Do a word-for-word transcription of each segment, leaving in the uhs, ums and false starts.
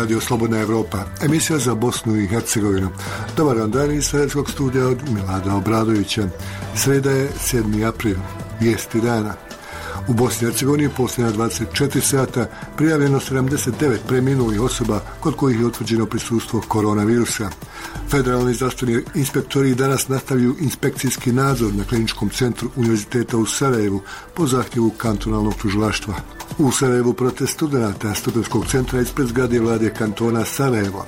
Radio Slobodna Evropa, emisija za Bosnu i Hercegovinu. Dobar dan, dan iz Sredskog studija od Milada Obradovića. Sreda je sedmi april, vijesti dana. U Bosni i Hercegovini posljednja dvadeset četiri sata prijavljeno sedamdeset devet preminulih osoba kod kojih je utvrđeno prisustvo koronavirusa. Federalni zdravstveni inspektori danas nastavljaju inspekcijski nadzor na kliničkom centru Univerziteta u Sarajevu po zahtjevu kantonalnog tužilaštva. U Sarajevu protest studenata studentskog centra ispred zgrade vlade kantona Sarajevo.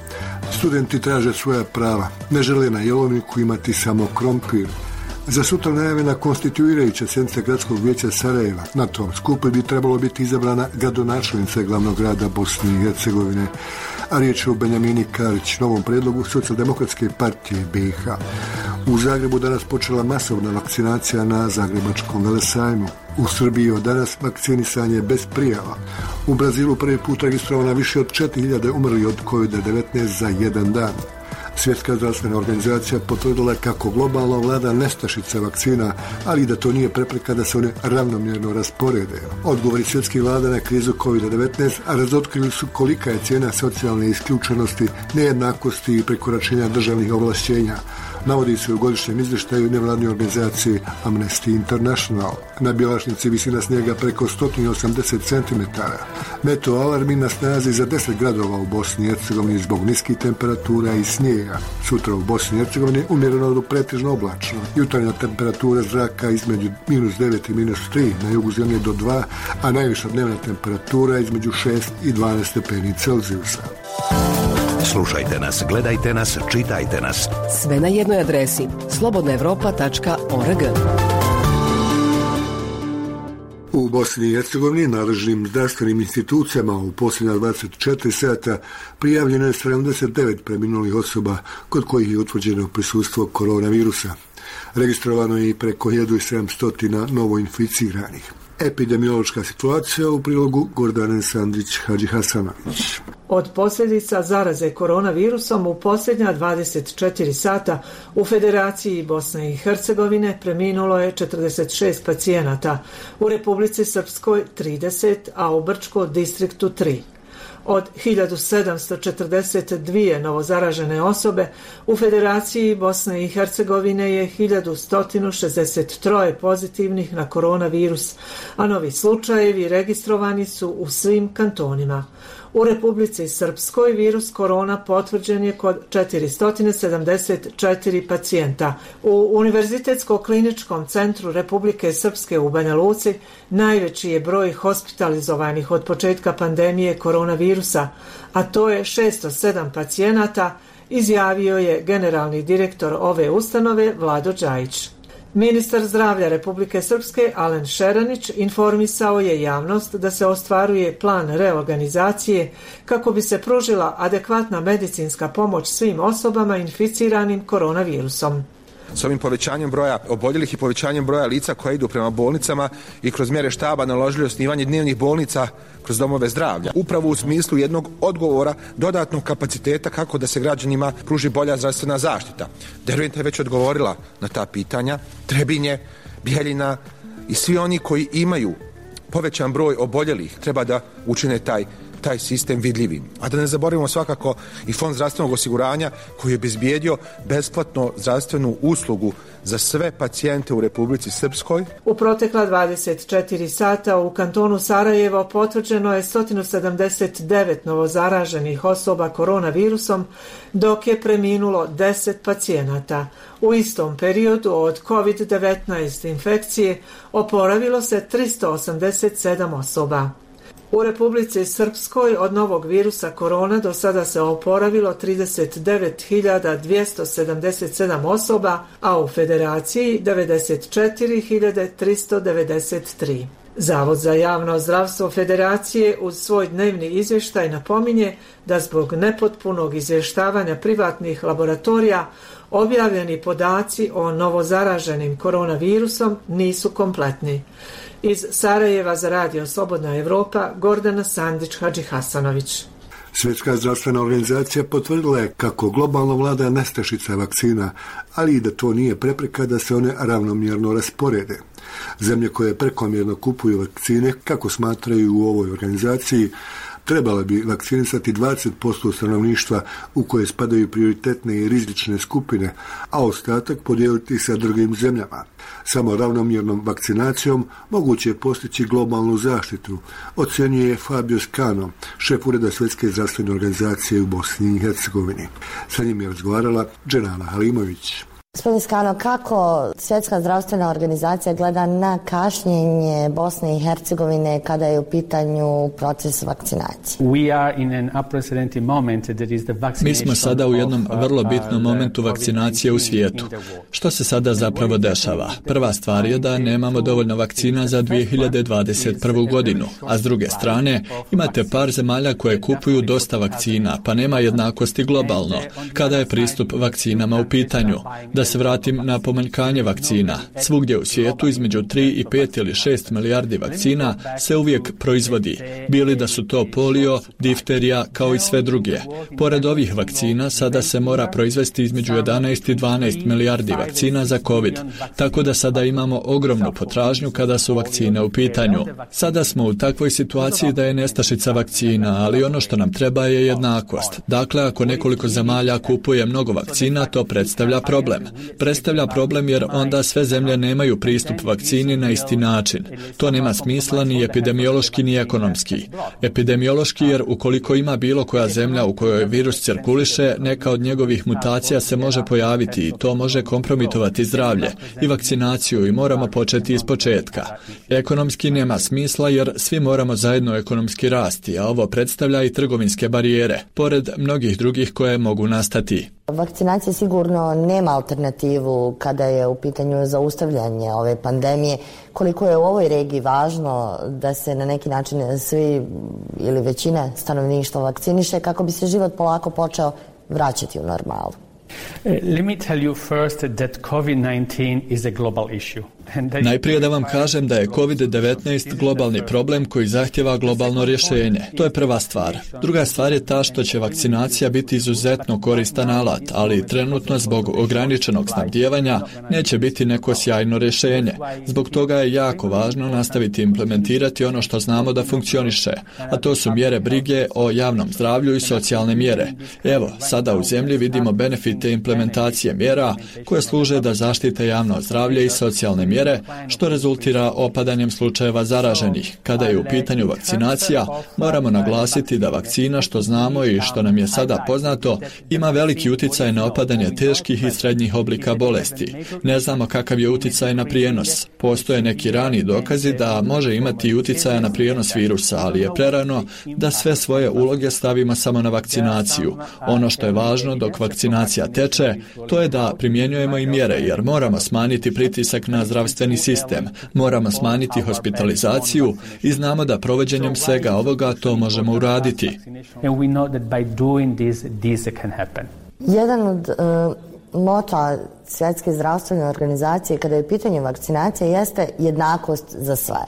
Studenti traže svoja prava, ne žele na jelovniku imati samo krompir. Za sutra najavljena konstituirajuća sjednica gradskog vijeća Sarajeva. Na tom skupu bi trebalo biti izabrana gradonačelnica glavnog grada Bosne i Hercegovine, a riječ je o Benjamini Karić, novom predlogu Socijaldemokratske partije B i H. U Zagrebu danas počela masovna vakcinacija na Zagrebačkom velesajmu. U Srbiji od danas vakcinisanje bez prijava. U Brazilu prvi put registrovana više od četiri hiljade umrli od kovid devetnaest za jedan dan. Svjetska zdravstvena organizacija potvrdila kako globalno vlada nestašica vakcina, ali i da to nije prepreka da se one ravnomjerno rasporede. Odgovori svjetskih vlada na krizu kovid devetnaest razotkrili su kolika je cijena socijalne isključenosti, nejednakosti i prekoračenja državnih ovlašćenja. Navodi se u godišnjem izvještaju nevladne organizacije Amnesty International. Na Bjelašnici visina snijega preko sto osamdeset centimetara. Meteo alarmi na snazi za deset gradova u Bosni i Hercegovini zbog niskih temperatura i snijega. Sutra u Bosni i Hercegovini umjereno do pretežno oblačno. Jutarnja temperatura zraka između minus devet i minus tri, na jugu zemlje do dva, a najviša dnevna temperatura između šest i dvanaest stepeni Celzijusa. Slušajte nas, gledajte nas, čitajte nas. Sve na jednoj adresi slobodna evropa tačka org. U Bosni i Hercegovini nadležnim zdravstvenim institucijama u posljednja dvadeset četiri sata prijavljeno je sedamdeset devet preminulih osoba kod kojih je utvrđeno prisustvo koronavirusa. Registrovano je i preko hiljadu sedamsto novoinficiranih. Epidemiološka situacija u prilogu Gordane Sandrić-Hadžihasanović. Od posljedica zaraze koronavirusom u posljednja dvadeset četiri sata u Federaciji Bosne i Hercegovine preminulo je četrdeset šest pacijenata, u Republici Srpskoj trideset, a u Brčkom distriktu tri. Od hiljadu sedamsto četrdeset dvije novozaražene osobe u Federaciji Bosne i Hercegovine je hiljadu sto šezdeset tri pozitivnih na koronavirus, a novi slučajevi registrovani su u svim kantonima. U Republici Srpskoj virus korona potvrđen je kod četiristo sedamdeset četiri pacijenta. U Univerzitetsko-kliničkom centru Republike Srpske u Banja Luci najveći je broj hospitalizovanih od početka pandemije koronavirusa, a to je šesto sedam pacijenata, izjavio je generalni direktor ove ustanove Vlado Đajić. Ministar zdravlja Republike Srpske Alen Šeranić informisao je javnost da se ostvaruje plan reorganizacije kako bi se pružila adekvatna medicinska pomoć svim osobama inficiranim koronavirusom. S ovim povećanjem broja oboljelih i povećanjem broja lica koja idu prema bolnicama i kroz mjere štaba naložili osnivanje dnevnih bolnica kroz domove zdravlja. Upravo u smislu jednog odgovora dodatnog kapaciteta kako da se građanima pruži bolja zdravstvena zaštita. Derventa je već odgovorila na ta pitanja. Trebinje, Bijeljina i svi oni koji imaju povećan broj oboljelih treba da učine taj taj sistem vidljivim. A da ne zaboravimo svakako i Fond zdravstvenog osiguranja koji je obezbijedio besplatno zdravstvenu uslugu za sve pacijente u Republici Srpskoj. U protekla dvadeset četiri sata u kantonu Sarajevo potvrđeno je sto sedamdeset devet novozaraženih osoba koronavirusom, dok je preminulo deset pacijenata. U istom periodu od kovid devetnaest infekcije oporavilo se tristo osamdeset sedam osoba. U Republici Srpskoj od novog virusa korona do sada se oporavilo trideset devet hiljada dvjesto sedamdeset sedam osoba, a u Federaciji devedeset četiri hiljade tristo devedeset tri. Zavod za javno zdravstvo Federacije uz svoj dnevni izvještaj napominje da zbog nepotpunog izvještavanja privatnih laboratorija objavljeni podaci o novozaraženim koronavirusom nisu kompletni. Iz Sarajeva za Radio Slobodna Evropa, Gordana Sandić-Hadžihasanović. Svjetska zdravstvena organizacija potvrdila je kako globalno vlada nestašica vakcina, ali i da to nije prepreka da se one ravnomjerno rasporede. Zemlje koje prekomjerno kupuju vakcine, kako smatraju u ovoj organizaciji, Trebala bi vakcinisati dvadeset posto stanovništva u koje spadaju prioritetne i rizične skupine, a ostatak podijeliti sa drugim zemljama. Samo ravnomjernom vakcinacijom moguće je postići globalnu zaštitu, ocjenjuje Fabio Scano, šef ureda Svjetske zdravstvene organizacije u Bosni i Hercegovini. Sa njim je razgovarala Dženana Halimović. Gospodin Scano, kako Svjetska zdravstvena organizacija gleda na kašnjenje Bosne i Hercegovine kada je u pitanju proces vakcinacije? Mi smo sada u jednom vrlo bitnom momentu vakcinacije u svijetu. Što se sada zapravo dešava? Prva stvar je da nemamo dovoljno vakcina za dvije hiljade dvadeset prvu. godinu, a s druge strane imate par zemalja koje kupuju dosta vakcina, pa nema jednakosti globalno kada je pristup vakcinama u pitanju. Da se vratim na pomanjkanje vakcina. Svugdje u svijetu između tri i pet ili šest milijardi vakcina se uvijek proizvodi, bili da su to polio, difterija, kao i sve druge. Pored ovih vakcina, sada se mora proizvesti između jedanaest i dvanaest milijardi vakcina za COVID, tako da sada imamo ogromnu potražnju kada su vakcine u pitanju. Sada smo u takvoj situaciji da je nestašica vakcina, ali ono što nam treba je jednakost. Dakle, ako nekoliko zemalja kupuje mnogo vakcina, to predstavlja problem. Predstavlja problem jer onda sve zemlje nemaju pristup vakcini na isti način. To nema smisla ni epidemiološki ni ekonomski. Epidemiološki jer ukoliko ima bilo koja zemlja u kojoj virus cirkuliše, neka od njegovih mutacija se može pojaviti i to može kompromitovati zdravlje i vakcinaciju i moramo početi iz početka. Ekonomski nema smisla jer svi moramo zajedno ekonomski rasti, a ovo predstavlja i trgovinske barijere, pored mnogih drugih koje mogu nastati. Vakcinacija sigurno nema alternativu kada je u pitanju zaustavljanje ove pandemije. Koliko je u ovoj regiji važno da se na neki način svi ili većina stanovništva vakciniše kako bi se život polako počeo vraćati u normalu? Let me tell you first that COVID nineteen is a global issue. Najprije da vam kažem da je kovid devetnaest globalni problem koji zahtjeva globalno rješenje. To je prva stvar. Druga stvar je ta što će vakcinacija biti izuzetno koristan alat, ali trenutno zbog ograničenog snabdijevanja neće biti neko sjajno rješenje. Zbog toga je jako važno nastaviti implementirati ono što znamo da funkcioniše, a to su mjere brige o javnom zdravlju i socijalne mjere. Evo, sada u zemlji vidimo benefite implementacije mjera koje služe da zaštite javno zdravlje i socijalne mjere, što rezultira opadanjem slučajeva zaraženih. Kada je u pitanju vakcinacija, moramo naglasiti da vakcina, što znamo i što nam je sada poznato, ima veliki utjecaj na opadanje teških i srednjih oblika bolesti. Ne znamo kakav je utjecaj na prijenos. Postoje neki rani dokazi da može imati utjecaja na prijenos virusa, ali je prerano da sve svoje uloge stavimo samo na vakcinaciju. Ono što je važno dok vakcinacija teče, to je da primjenjujemo i mjere, jer moramo smanjiti pritisak na zdravstveni sistem, moramo smanjiti hospitalizaciju i znamo da provođenjem svega ovoga to možemo uraditi. Jedan od uh, mota Svjetske zdravstvene organizacije kada je pitanje vakcinacije jeste jednakost za sve.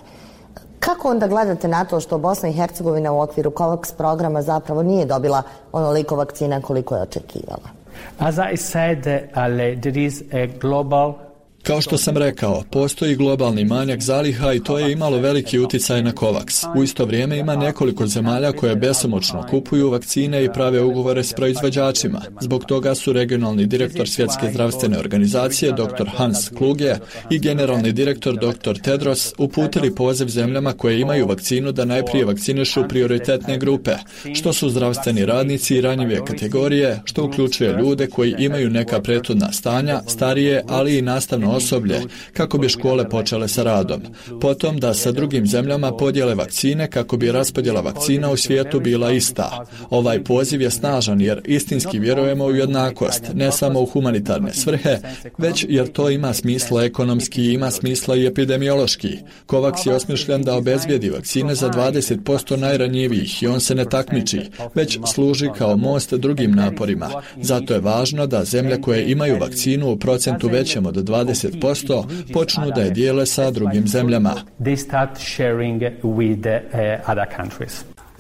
Kako onda gledate na to što Bosna i Hercegovina u okviru COVAX programa zapravo nije dobila onoliko vakcina koliko je očekivala? As I said, Ale, there is a global Kao što sam rekao, postoji globalni manjak zaliha i to je imalo veliki utjecaj na COVAX. U isto vrijeme ima nekoliko zemalja koje besomučno kupuju vakcine i prave ugovore s proizvođačima. Zbog toga su regionalni direktor Svjetske zdravstvene organizacije dr. Hans Kluge i generalni direktor dr. Tedros uputili poziv zemljama koje imaju vakcinu da najprije vakcinišu prioritetne grupe, što su zdravstveni radnici i ranjive kategorije, što uključuje ljude koji imaju neka prethodna stanja, starije, ali i nastavno osoblje, kako bi škole počele sa radom. Potom da sa drugim zemljama podijele vakcine kako bi raspodjela vakcina u svijetu bila ista. Ovaj poziv je snažan jer istinski vjerujemo u jednakost, ne samo u humanitarne svrhe, već jer to ima smisla ekonomski i ima smisla i epidemiološki. COVAX je osmišljen da obezbijedi vakcine za dvadeset posto najranjivijih i on se ne takmiči, već služi kao most drugim naporima. Zato je važno da zemlje koje imaju vakcinu u procentu većem od dvadeset posto počnu da je dijele sa drugim zemljama.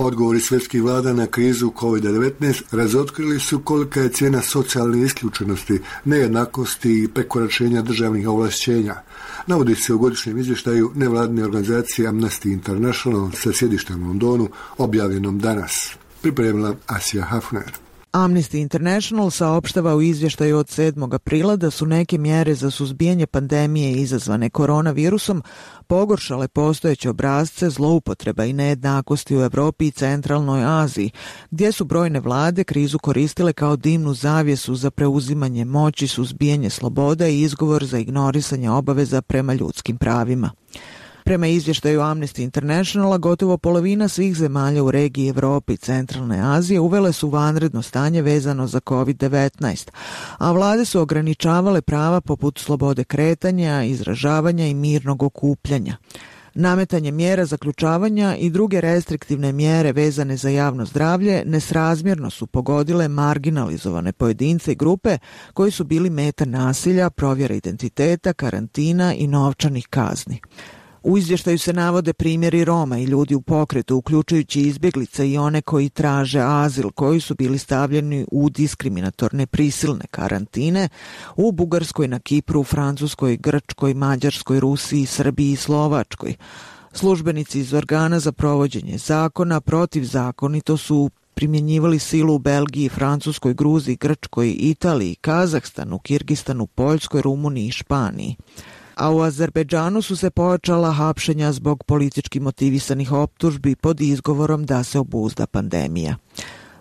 Odgovori svjetskih vlada na krizu kovid devetnaest razotkrili su kolika je cijena socijalne isključenosti, nejednakosti i prekoračenja državnih ovlašćenja. Navodi se u godišnjem izvještaju nevladine organizacije Amnesty International sa sjedištem u Londonu, objavljenom danas. Pripremila Asija Hafner. Amnesty International saopštava u izvještaju od sedmog aprila da su neke mjere za suzbijanje pandemije izazvane koronavirusom pogoršale postojeće obrasce zloupotreba i nejednakosti u Europi i centralnoj Aziji, gdje su brojne vlade krizu koristile kao dimnu zavjesu za preuzimanje moći, suzbijanje sloboda i izgovor za ignorisanje obaveza prema ljudskim pravima. Prema izvještaju Amnesty Internationala, gotovo polovina svih zemalja u regiji Europe i centralne Azije uvele su vanredno stanje vezano za kovid devetnaest, a vlade su ograničavale prava poput slobode kretanja, izražavanja i mirnog okupljanja. Nametanje mjera zaključavanja i druge restriktivne mjere vezane za javno zdravlje nesrazmjerno su pogodile marginalizovane pojedince i grupe koji su bili meta nasilja, provjera identiteta, karantina i novčanih kazni. U izvještaju se navode primjeri Roma i ljudi u pokretu, uključujući izbjeglice i one koji traže azil, koji su bili stavljeni u diskriminatorne prisilne karantine u Bugarskoj, na Kipru, Francuskoj, Grčkoj, Mađarskoj, Rusiji, Srbiji i Slovačkoj. Službenici iz organa za provođenje zakona protivzakonito su primjenjivali silu u Belgiji, Francuskoj, Gruziji, Grčkoj, Italiji, Kazahstanu, Kirgistanu, Poljskoj, Rumuniji i Španiji. A u Azerbejdžanu su se pojačala hapšenja zbog politički motivisanih optužbi pod izgovorom da se obuzda pandemija.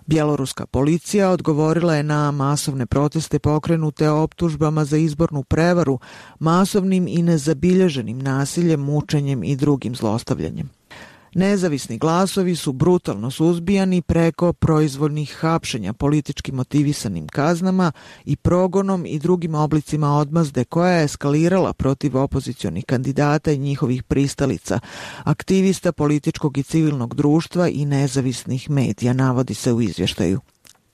Bjeloruska policija odgovorila je na masovne proteste pokrenute optužbama za izbornu prevaru, masovnim i nezabilježenim nasiljem, mučenjem i drugim zlostavljanjem. Nezavisni glasovi su brutalno suzbijani preko proizvoljnih hapšenja, politički motivisanim kaznama i progonom i drugim oblicima odmazde koja je eskalirala protiv opozicionih kandidata i njihovih pristalica, aktivista političkog i civilnog društva i nezavisnih medija, navodi se u izvještaju.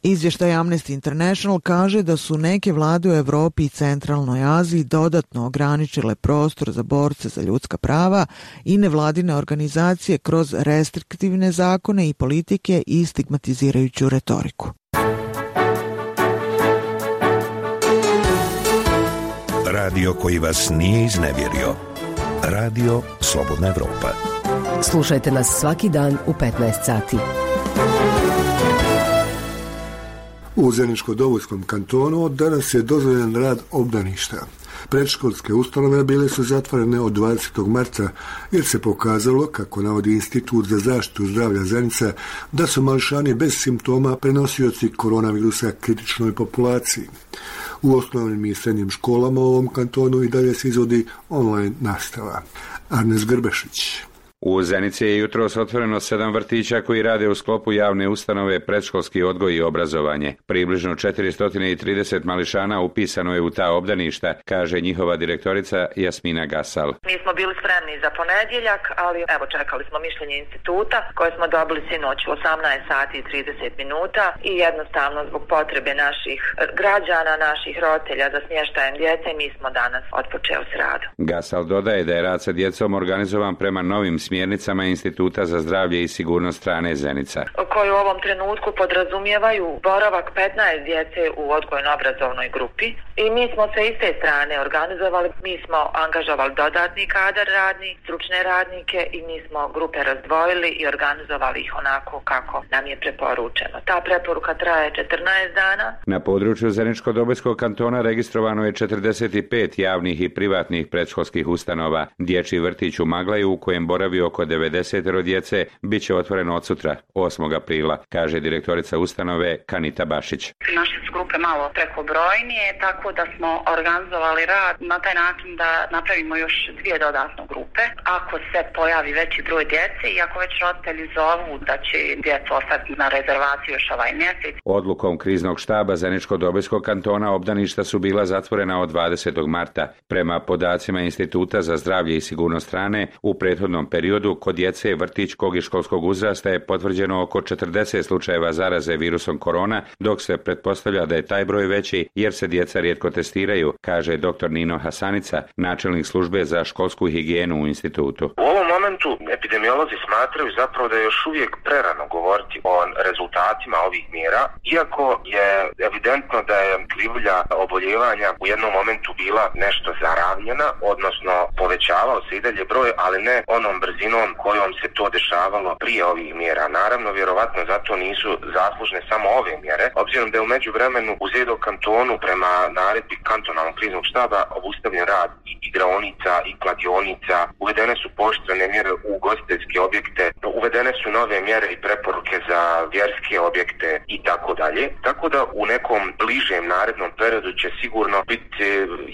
Izvještaj Amnesty International kaže da su neke vlade u Europi i centralnoj Aziji dodatno ograničile prostor za borce za ljudska prava i nevladine organizacije kroz restriktivne zakone i politike i stigmatizirajuću retoriku. Radio koji vas nije iznevjerio. Radio Slobodna Evropa. Slušajte nas svaki dan u petnaest sati. U Zeničko-Dobojskom kantonu danas je dozvoljen rad obdaništa. Predškolske ustanove bile su zatvorene od dvadesetog marta jer se pokazalo, kako navodi Institut za zaštitu zdravlja Zenica, da su mališani bez simptoma prenosioci koronavirusa kritičnoj populaciji. U osnovnim i srednjim školama u ovom kantonu i dalje se izvodi online nastava. Arnes Grbešić. U Zenici je jutros otvoreno sedam vrtića koji rade u sklopu javne ustanove predškolski odgoj i obrazovanje. Približno četiristo trideset mališana upisano je u ta obdaništa, kaže njihova direktorica Jasmina Gasal. Mi smo bili spremni za ponedjeljak, ali evo čekali smo mišljenje instituta koje smo dobili sinoć u osamnaest sati i trideset minuta i jednostavno zbog potrebe naših građana, naših roditelja za smještajem djece, mi smo danas otpočeli s radom. Gasal dodaje da je rad sa djecom organizovan prema novim smjernicama Instituta za zdravlje i sigurnost hrane Zenica, koji u ovom trenutku podrazumijevaju boravak petnaest djece u odgojno-obrazovnoj grupi i mi smo se iz te strane organizovali, mi smo angažovali dodatni kadar radni, stručne radnike i mi smo grupe razdvojili i organizovali ih onako kako nam je preporučeno. Ta preporuka traje četrnaest dana. Na području Zeničko-Dobojskog kantona registrovano je četrdeset pet javnih i privatnih predškolskih ustanova. Dječji vrtić u Maglaju, u kojem boravi oko devedeset djece, bit će otvoreno od sutra, osmog aprila, kaže direktorica ustanove Kanita Bašić. Naše su grupe malo prekobrojnije, tako da smo organizovali rad na taj način da napravimo još dvije dodatne grupe. Ako se pojavi veći broj djece i ako već roditelji zovu da će djeca ostati na rezervaciju još ovaj mjesec. Odlukom kriznog štaba Zeničko-Dobojskog kantona obdaništa su bila zatvorena od dvadesetog marta. Prema podacima Instituta za zdravlje i sigurnost hrane, u prethodnom periodu kod djece vrtićkog i školskog uzrasta je potvrđeno oko četrdeset slučajeva zaraze virusom korona, dok se pretpostavlja da je taj broj veći jer se djeca rijetko testiraju, kaže doktor Nino Hasanica, načelnik službe za školsku higijenu u institutu. U ovom momentu epidemiolozi smatraju zapravo da je još uvijek prerano govoriti o rezultatima ovih mjera, iako je evidentno da je krivulja oboljevanja u jednom momentu bila nešto zaravnjena, odnosno povećavao se i dalje broj, ali ne onom brzinom kojom se to dešavalo prije ovih mjera. Naravno, vjerovatno zato nisu zaslužne samo ove mjere, obzirom da je u međuvremenu u Zedo kantonu prema naredbi kantonalnog kriznog štaba obustavljen rad i igraonica i kladionica, uvedene su pooštrene mjere u ugostiteljske objekte, uvedene su nove mjere i preporuke za vjerske objekte i tako dalje. Tako da u nekom bližem narednom periodu će sigurno biti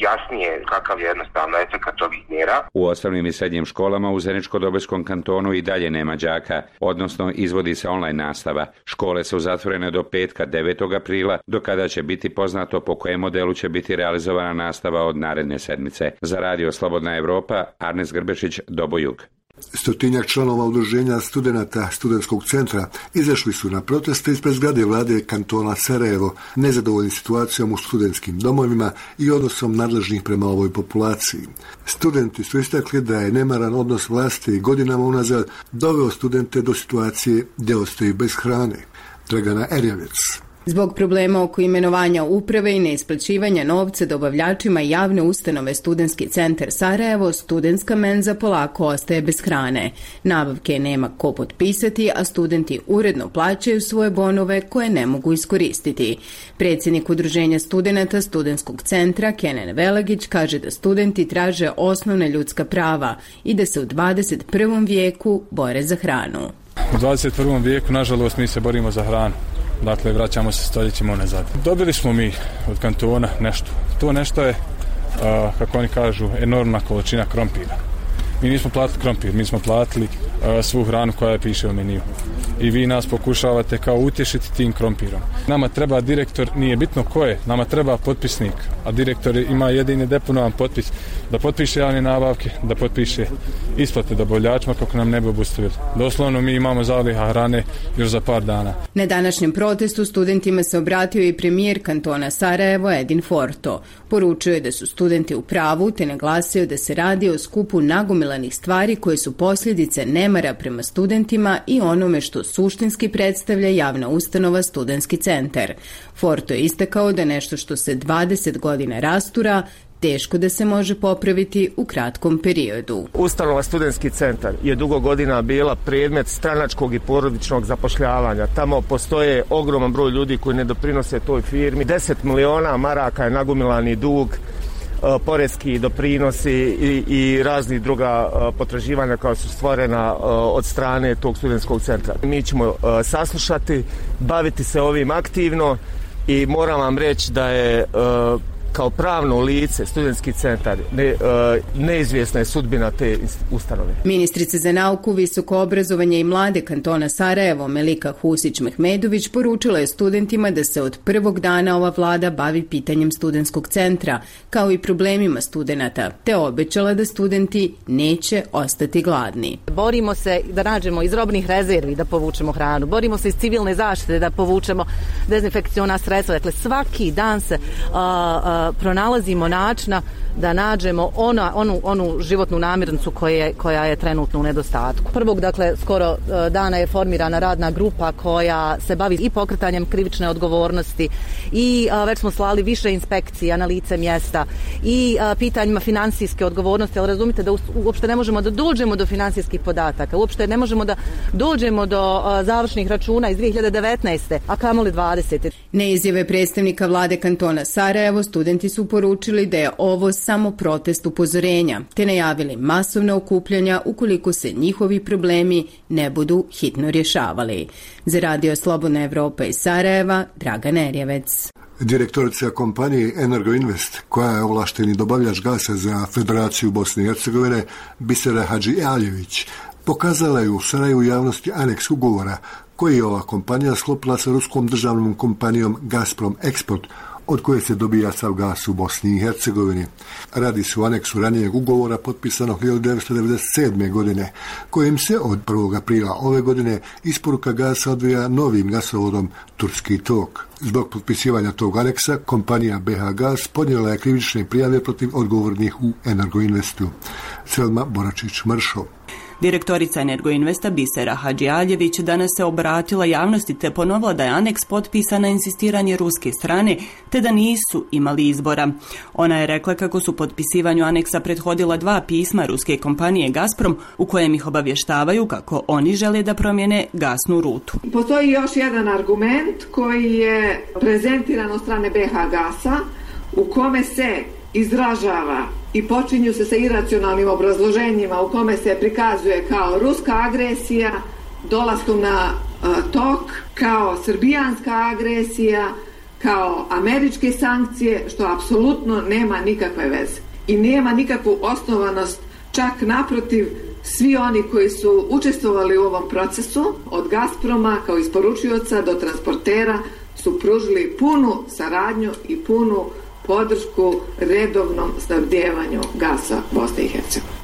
jasnije kakav je jednostavno efekat ovih mjera. U osnovnim i srednjim školama u Zeničko-Dobojskom kantonu i dalje nema đaka, odnosno izvodi se online nastava. Škole su zatvorene do petka devetog aprila, do kada će biti poznato po kojem modelu će biti realizovana nastava od naredne sedmice. Za Radio Slobodna Evropa, Arnes Grbešić, Dobojug. Stotinjak članova udruženja studenata studentskog centra izašli su na proteste ispred zgrade vlade kantona Sarajevo, nezadovoljni situacijom u studentskim domovima i odnosom nadležnih prema ovoj populaciji. Studenti su istakli da je nemaran odnos vlasti godinama unazad doveo studente do situacije gdje ostaju bez hrane. Dragana Erjavec. Zbog problema oko imenovanja uprave i neisplaćivanja novca dobavljačima javne ustanove Studentski centar Sarajevo, studentska menza polako ostaje bez hrane. Nabavke nema ko potpisati, a studenti uredno plaćaju svoje bonove koje ne mogu iskoristiti. Predsjednik Udruženja studenata Studentskog centra, Kenan Velagić, kaže da studenti traže osnovne ljudska prava i da se u dvadeset prvom vijeku bore za hranu. U dvadeset prvom vijeku, nažalost, mi se borimo za hranu. Dakle, vraćamo se stoljećima unazad. Dobili smo mi od kantona nešto. To nešto je, a, kako oni kažu, enormna količina krompira. Mi nismo platili krompir, mi smo platili a, svu hranu koja piše u meniju. I vi nas pokušavate kao utješiti tim krompirom. Nama treba direktor, nije bitno ko je, nama treba potpisnik, a direktor ima jedini deponovan potpis da potpiše javne nabavke, da potpiše isplate dobavljačima kako nam ne bi obustavili. Doslovno mi imamo zaliha hrane još za par dana. Na današnjem protestu studentima se obratio i premijer kantona Sarajevo Edin Forto. Poručio je da su studenti u pravu te naglasio da se radi o skupu nagomilanih stvari koje su posljedice nemara prema studentima i onome što suštinski predstavlja javna ustanova Studentski centar. Forto je istakao da nešto što se dvadeset godina rastura teško da se može popraviti u kratkom periodu. Ustanova Studentski centar je dugo godina bila predmet stranačkog i porodičnog zapošljavanja. Tamo postoje ogroman broj ljudi koji ne doprinose toj firmi. deset miliona maraka je nagomilani dug, poreski doprinosi i, i razni druga potraživanja koja su stvorena od strane tog studentskog centra. Mi ćemo saslušati, baviti se ovim aktivno i moram vam reći da je kao pravno lice Studentski centar ne, neizvjesna je sudbina te ustanove. Ministrica za nauku, visoko obrazovanje i mlade kantona Sarajevo Melika Husić-Mehmedović poručila je studentima da se od prvog dana ova vlada bavi pitanjem Studentskog centra, kao i problemima studenata, te obećala da studenti neće ostati gladni. Borimo se da nađemo iz robnih rezervi da povučemo hranu, borimo se iz civilne zaštite da povučemo dezinfekciona sredstva, dakle svaki dan se a, a, pronalazimo načina da nađemo ona, onu, onu životnu namirnicu koje, koja je trenutno u nedostatku. Prvog, dakle, skoro dana je formirana radna grupa koja se bavi i pokretanjem krivične odgovornosti i a, već smo slali više inspekcija na lice mjesta i a, pitanjima financijske odgovornosti, ali razumite da uopšte ne možemo da dođemo do financijskih podataka, uopšte ne možemo da dođemo do a, završnih računa iz dvije hiljade devetnaeste. a kamoli dvadesete. Neizjave predstavnika vlade kantona Sarajevo, studenti su poručili da je ovo samo protest upozorenja, te najavili masovna okupljanja ukoliko se njihovi problemi ne budu hitno rješavali. Za Radio Slobodna Evropa iz Sarajeva, Dragan Erjavec. Direktorica kompanije Energoinvest, koja je ovlašteni dobavljač gasa za Federaciju Bosne i Hercegovine, Bisera Hadžialjević, pokazala je u Sarajevu javnosti aneks ugovora koji je ova kompanija sklopila sa ruskom državnom kompanijom Gazprom Export, od koje se dobija sav gas u Bosni i Hercegovini. Radi se o aneksu ranijeg ugovora potpisanog hiljadu devetsto devedeset sedme. godine, kojim se od prvog aprila ove godine isporuka gasa odvija novim gasovodom Turski tok. Zbog potpisivanja tog aneksa, kompanija B H Gas podnijela je krivične prijave protiv odgovornih u Energoinvestu. Selma Boračić-Mršov. Direktorica Energoinvesta Bisera Hadžialjević danas se obratila javnosti te ponovila da je aneks potpisan na insistiranje ruske strane te da nisu imali izbora. Ona je rekla kako su potpisivanju aneksa prethodila dva pisma ruske kompanije Gazprom u kojem ih obavještavaju kako oni žele da promijene gasnu rutu. Postoji još jedan argument koji je prezentiran od strane B H Gasa u kome se izražava i počinju se sa iracionalnim obrazloženjima u kome se prikazuje kao ruska agresija dolaskom na uh, tok, kao srbijanska agresija, kao američke sankcije, što apsolutno nema nikakve veze i nema nikakvu osnovanost, čak naprotiv, svi oni koji su učestvovali u ovom procesu, od Gazproma kao isporučioca do transportera, su pružili punu saradnju i punu podršku redovnom snabdevanju gasa Bosne i Hercegovine.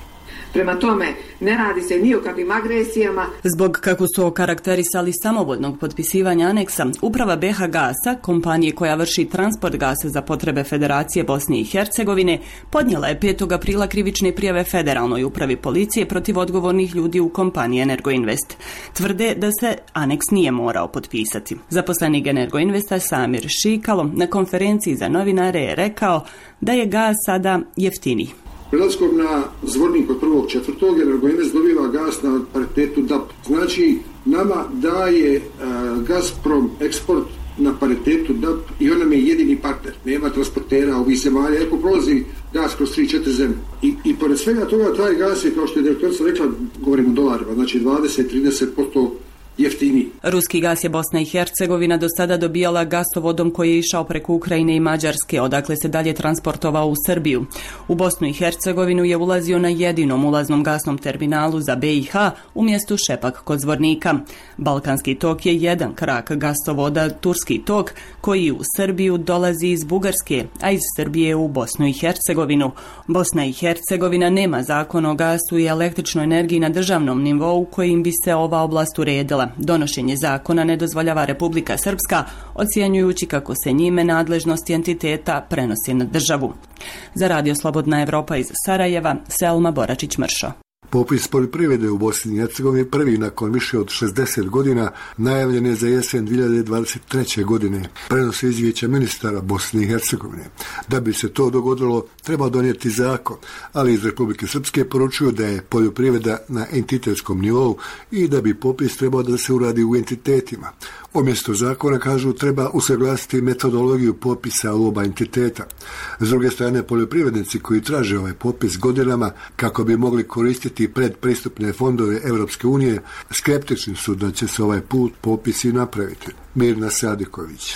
Prema tome, ne radi se ni o kakvim agresijama. Zbog kako su okarakterisali samovoljnog potpisivanja aneksa, uprava B H Gasa, kompanije koja vrši transport gasa za potrebe Federacije Bosne i Hercegovine, podnijela je petog aprila krivične prijave Federalnoj upravi policije protiv odgovornih ljudi u kompaniji Energoinvest. Tvrde da se aneks nije morao potpisati. Zaposlenik Energoinvesta Samir Šikalo na konferenciji za novinare je rekao da je gas sada jeftiniji. Prelaskom na zvornik od prvog četvrtog Energoinvest dobiva gas na paritetu D A P. Znači, nama daje uh, Gazprom eksport na paritetu D A P i on nam je jedini partner. Nema transportera ovih zemalja, ako prolazi gas kroz tri četiri zemlje. I, I pored svega toga, taj gas je, kao što je direktorica rekla, govorimo o dolarima, znači dvadeset do trideset posto jeftiniji. Ruski gas je Bosna i Hercegovina do sada dobijala gasovodom koji je išao preko Ukrajine i Mađarske, odakle se dalje transportovao u Srbiju. U Bosnu i Hercegovinu je ulazio na jedinom ulaznom gasnom terminalu za B i H u mjestu Šepak kod Zvornika. Balkanski tok je jedan krak gasovoda Turski tok koji u Srbiju dolazi iz Bugarske, a iz Srbije u Bosnu i Hercegovinu. Bosna i Hercegovina nema zakon o gasu i električnoj energiji na državnom nivou kojim bi se ova oblast uredila. Donošenje zakona ne dozvoljava Republika Srpska, ocjenjujući kako se njime nadležnosti entiteta prenosi na državu. Za Radio Slobodna Evropa iz Sarajeva, Selma Boračić-Mršo. Popis poljoprivrede u Bosni i Hercegovini prvi nakon više od šezdeset godina najavljen je za jesen dvije hiljade dvadeset treće. godine. Prenose izvješća ministara Bosne i Hercegovine. Da bi se to dogodilo, treba donijeti zakon, ali iz Republike Srpske poručuju da je poljoprivreda na entitetskom nivou i da bi popis trebao da se uradi u entitetima. Umjesto zakona, kažu, treba usaglasiti metodologiju popisa u oba entiteta. S druge strane, poljoprivrednici koji traže ovaj popis godinama kako bi mogli koristiti predpristupne fondove Europske unije, skeptični su da će se ovaj put popisi napraviti. Mirna Sadiković.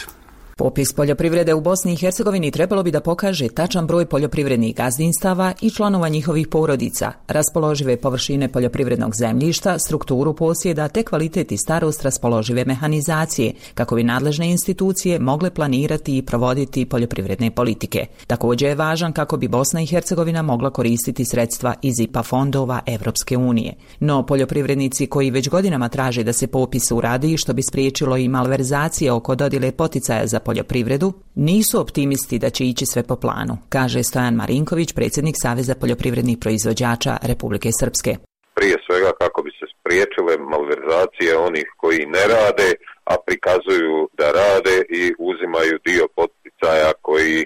Popis poljoprivrede u Bosni i Hercegovini trebalo bi da pokaže tačan broj poljoprivrednih gazdinstava i članova njihovih porodica, raspoložive površine poljoprivrednog zemljišta, strukturu posjeda te kvalitet i starost raspoložive mehanizacije, kako bi nadležne institucije mogle planirati i provoditi poljoprivredne politike. Također je važan kako bi Bosna i Hercegovina mogla koristiti sredstva iz I P A fondova Evropske unije. No, poljoprivrednici koji već godinama traže da se popis uradi, što bi spriječilo i malverzacije oko dodjele poticaja za poljoprivredu, nisu optimisti da će ići sve po planu, kaže Stojan Marinković, predsjednik Saveza poljoprivrednih proizvođača Republike Srpske. Prije svega kako bi se spriječile malverzacije onih koji ne rade, a prikazuju da rade i uzimaju dio poticaja koji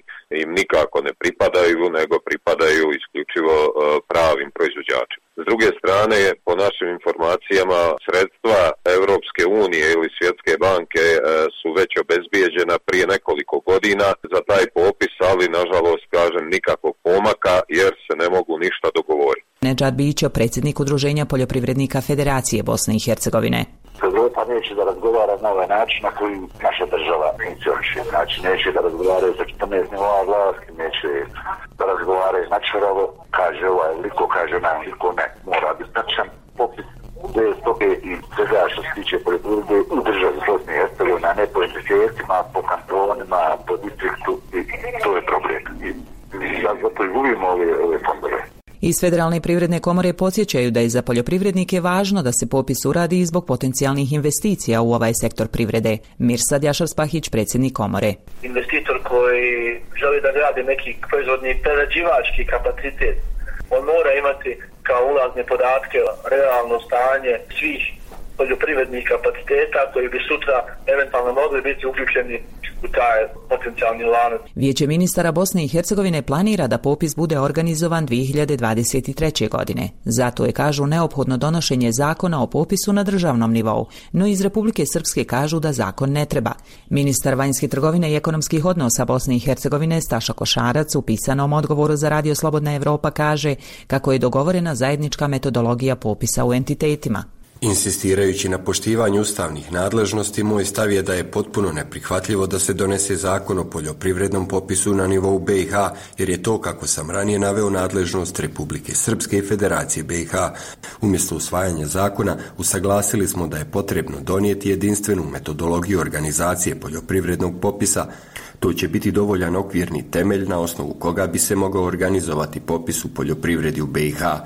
im nikako ne pripadaju, nego pripadaju isključivo pravim proizvođačima. S druge strane, po našim informacijama, sredstva Europske unije ili Svjetske banke su već obezbijeđena prije nekoliko godina za taj popis, ali nažalost, kažem, nikakvog pomaka jer se ne mogu ništa dogovoriti. Nedžad Bićo, predsjednik Udruženja poljoprivrednika Federacije Bosne i Hercegovine. Europa neće da razgovara na ovaj način na koji naša država funkcioniše. Znači, neće da razgovaraju sa četrnaest nivoa vlasti, neće da razgovaraju načerovo, kaže ovaj liko, kaže onaj liko, ne, mora biti tačan popis gdje stope i svega što se tiče poljoprivrede u državi Bosne i Hercegovine, a ne po entitetima, po kantonima, po distriktu, i to je problem. I zato i gubimo ove, ove fondove. Iz Federalne privredne komore podsjećaju da je za poljoprivrednike važno da se popis uradi zbog potencijalnih investicija u ovaj sektor privrede. Mirsad Jašar-Spahić, predsjednik komore. Investitor koji želi da gradi neki proizvodni prerađivački kapacitet, on mora imati kao ulazne podatke, realno stanje svih poljoprivrednih kapaciteta koji bi sutra eventualno mogli biti uključeni u taj potencijalni lanac. Vijeće ministara Bosne i Hercegovine planira da popis bude organizovan dvije hiljade dvadeset treće. godine. Zato je, kažu, neophodno donošenje zakona o popisu na državnom nivou, no iz Republike Srpske kažu da zakon ne treba. Ministar vanjske trgovine i ekonomskih odnosa Bosne i Hercegovine Staša Košarac u pisanom odgovoru za Radio Slobodna Evropa kaže kako je dogovorena zajednička metodologija popisa u entitetima. Insistirajući na poštivanju ustavnih nadležnosti, moj stav je da je potpuno neprihvatljivo da se donese zakon o poljoprivrednom popisu na nivou B i H, jer je to, kako sam ranije naveo, nadležnost Republike Srpske i Federacije B i H. Umjesto usvajanja zakona, usaglasili smo da je potrebno donijeti jedinstvenu metodologiju organizacije poljoprivrednog popisa. To će biti dovoljan okvirni temelj na osnovu koga bi se mogao organizovati popis u poljoprivredi u B i H.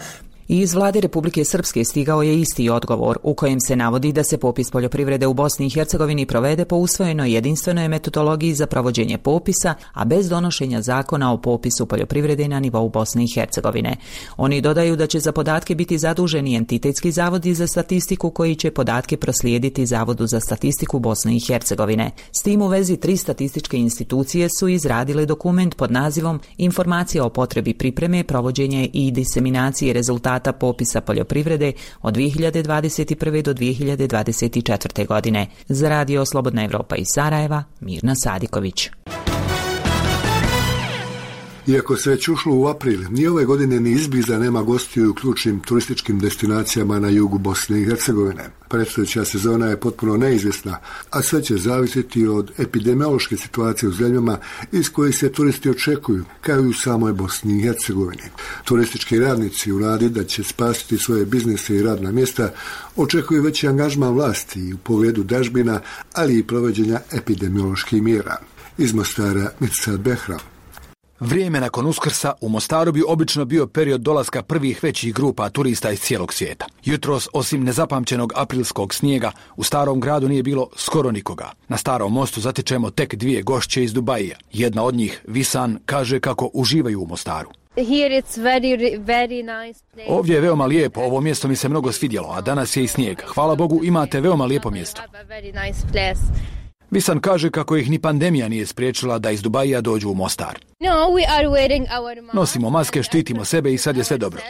I iz vlade Republike Srpske stigao je isti odgovor u kojem se navodi da se popis poljoprivrede u Bosni i Hercegovini provede po usvojenoj jedinstvenoj metodologiji za provođenje popisa, a bez donošenja zakona o popisu poljoprivrede na nivou Bosne i Hercegovine. Oni dodaju da će za podatke biti zaduženi entitetski zavodi za statistiku koji će podatke proslijediti Zavodu za statistiku Bosne i Hercegovine. S tim u vezi tri statističke institucije su izradile dokument pod nazivom Informacija o potrebi pripreme, provođenje i diseminacije rezultata popisa poljoprivrede od dvije hiljade dvadeset prve. do dvije hiljade dvadeset četvrte. godine. Za Radio Slobodna Evropa iz Sarajeva, Mirna Sadiković. Iako se već ušlo u april, ni ove godine ni izbliza nema gostiju u ključnim turističkim destinacijama na jugu Bosne i Hercegovine. Predstojeća sezona je potpuno neizvjesna, a sve će zavisiti od epidemiološke situacije u zemljama iz kojih se turisti očekuju, kao i u samoj Bosni i Hercegovini. Turistički radnici u nadi da će spasiti svoje biznise i radna mjesta očekuju veći angažman vlasti u pogledu dažbina, ali i provođenja epidemioloških mjera. Iz Mostara, Mirsad Behram. Vrijeme nakon Uskrsa u Mostaru bi obično bio period dolaska prvih većih grupa turista iz cijelog svijeta. Jutros, osim nezapamćenog aprilskog snijega, u starom gradu nije bilo skoro nikoga. Na starom mostu zatičemo tek dvije gošće iz Dubaija. Jedna od njih, Visan, kaže kako uživaju u Mostaru. Ovdje je veoma lijepo, ovo mjesto mi se mnogo svidjelo, a danas je i snijeg. Hvala Bogu, imate veoma lijepo mjesto. Visan kaže kako ih ni pandemija nije spriječila da iz Dubaija dođu u Mostar. Nosimo maske, štitimo sebe i sad je sve dobro.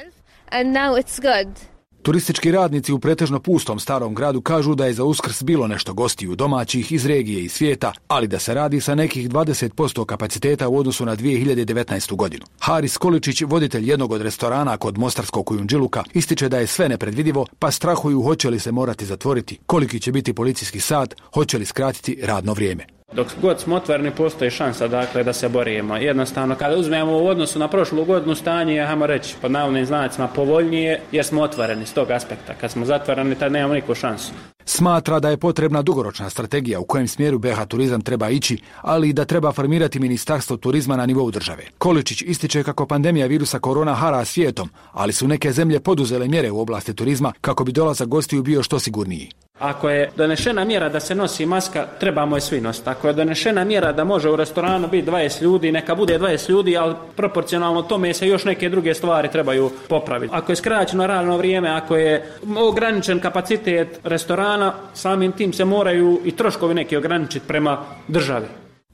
Turistički radnici u pretežno pustom starom gradu kažu da je za Uskrs bilo nešto gostiju domaćih iz regije i svijeta, ali da se radi sa nekih dvadeset posto kapaciteta u odnosu na dvije hiljade devetnaestu. godinu. Haris Količić, voditelj jednog od restorana kod mostarskog Kujundžiluka, ističe da je sve nepredvidivo, pa strahuju hoće li se morati zatvoriti, koliki će biti policijski sat, hoće li skratiti radno vrijeme. Dok god smo otvoreni, postoji šansa dakle, da se borimo. Jednostavno, kada uzmemo u odnosu na prošlu godinu stanje, ajmo reći, pod navodnim znacima povoljnije, jer smo otvoreni s tog aspekta. Kad smo zatvoreni, tad nemamo nikakvu šansu. Smatra da je potrebna dugoročna strategija u kojem smjeru B i H turizam treba ići, ali i da treba formirati ministarstvo turizma na nivou države. Količić ističe kako pandemija virusa korona hara svijetom, ali su neke zemlje poduzele mjere u oblasti turizma kako bi dolazak gostiju bio što sigurniji. Ako je donešena mjera da se nosi maska, trebamo je svi nositi. Ako je donešena mjera da može u restoranu biti dvadeset ljudi, neka bude dvadeset ljudi, ali proporcionalno tome se još neke druge stvari trebaju popraviti. Ako je skraćeno radno vrijeme, ako je ograničen kapacitet restorana, samim tim se moraju i troškovi neki ograničiti prema državi.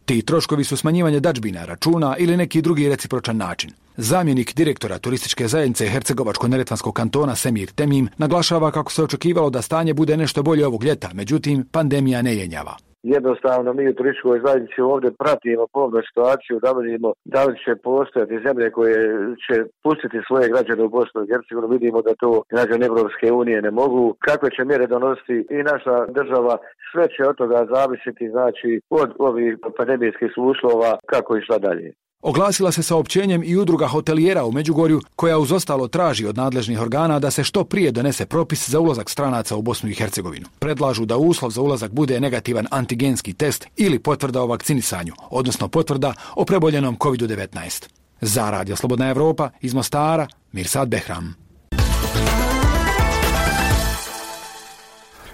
Ti troškovi su smanjivanje dadžbina, računa ili neki drugi recipročan način. Zamjenik direktora turističke zajednice Hercegovačko-neretvanskog kantona Semir Temim naglašava kako se očekivalo da stanje bude nešto bolje ovog ljeta, međutim pandemija ne jenjava. Jednostavno mi u turističkoj zajednici ovdje pratimo pomno situaciju da vidimo da li će postojati zemlje koje će pustiti svoje građane u Bosnu i Hercegovinu. Vidimo da to građani Evropske unije ne mogu. Kakve će mjere donositi i naša država, sve će od toga zavisiti, znači od ovih pandemijskih uslova kako i šta dalje. Oglasila se saopćenjem i udruga hotelijera u Međugorju, koja uz ostalo traži od nadležnih organa da se što prije donese propis za ulazak stranaca u Bosnu i Hercegovinu. Predlažu da uslov za ulazak bude negativan antigenski test ili potvrda o vakcinisanju, odnosno potvrda o preboljenom kovid devetnaest. Za Radio Slobodna Evropa iz Mostara, Mirsad Behram.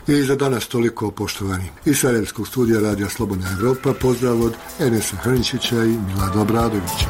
I za danas toliko, poštovani. Iz Sarajevskog studija Radija Slobodna Evropa pozdrav od Enesa Hrničića i Milada Obradovića.